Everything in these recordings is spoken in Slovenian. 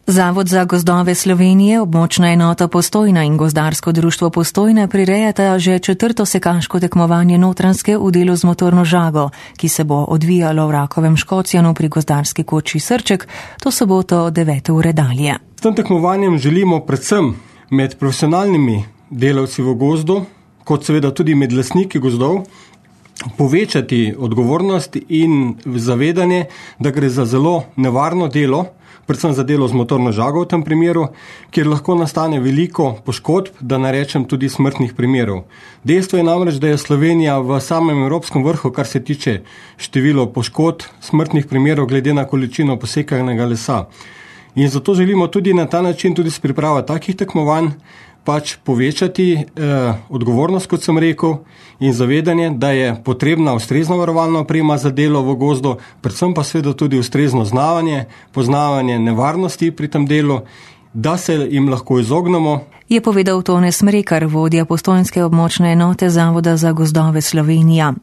Zavod za gozdove Slovenije, območna enota Postojna in gozdarsko društvo Postojna prirejata že 4. sekaško tekmovanje Notranjske v delu z motorno žago, ki se bo odvijalo v Rakovem Škocjanu pri gozdarski koči Srček, to soboto od 9. ure dalje. S tem tekmovanjem želimo predvsem med profesionalnimi delavci v gozdu, kot seveda tudi med lastniki gozdov, povečati odgovornost in zavedanje, da gre za zelo nevarno delo, predvsem za delo z motorno žago v tem primeru, kjer lahko nastane veliko poškodb, da ne rečem tudi smrtnih primerov. Dejstvo je namreč, da je Slovenija v samem evropskem vrhu, kar se tiče število poškodb, smrtnih primerov glede na količino posekanega lesa. In zato želimo tudi na ta način, tudi s pripravo takih tekmovanj, povečati odgovornost, kot sem rekel, in zavedanje, da je potrebna ustrezna varovalna oprema za delo v gozdu, predvsem pa seveda tudi ustrezno znavanje, poznavanje nevarnosti pri tem delu, da se jim lahko izognemo. Je povedal Tone Smrekar, vodja postojnske območne enote Zavoda za gozdove Slovenija.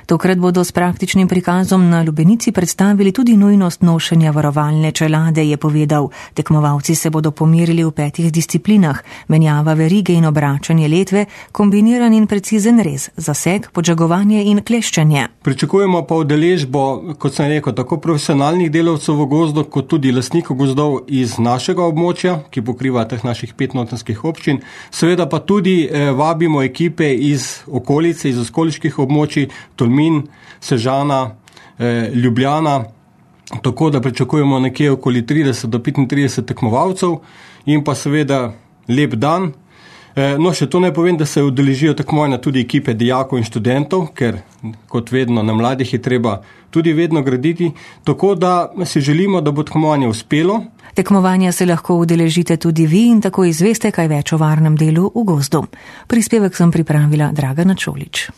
Tokrat bodo s praktičnim prikazom na lubenici predstavili tudi nujnost nošenja varovalne čelade, je povedal. Tekmovalci se bodo pomerili v 5 disciplinah: menjava verige in obračanje letve, kombiniran in precizen rez, zaseg, podžagovanje in kleščenje. Pričakujemo pa udeležbo, kot sem rekel, tako profesionalnih delavcev v gozdu, kot tudi lastnikov gozdov iz našega območja, ki pokriva teh naših 5 notranjskih občin. Seveda pa tudi vabimo ekipe iz okolice, iz okoliških območij, Tolmin, Sežana, Ljubljana, tako da pričakujemo nekje okoli 30 do 35 tekmovalcev in pa seveda lep dan. No, še to ne povem, da se udeležijo tekmovanja tudi ekipe dijakov in študentov, ker kot vedno na mladih je treba tudi vedno graditi, tako da si želimo, da bo tekmovanje uspelo. Tekmovanja se lahko udeležite tudi vi in tako izveste kaj več o varnem delu v gozdu. Prispevek sem pripravila Dragana Čolič.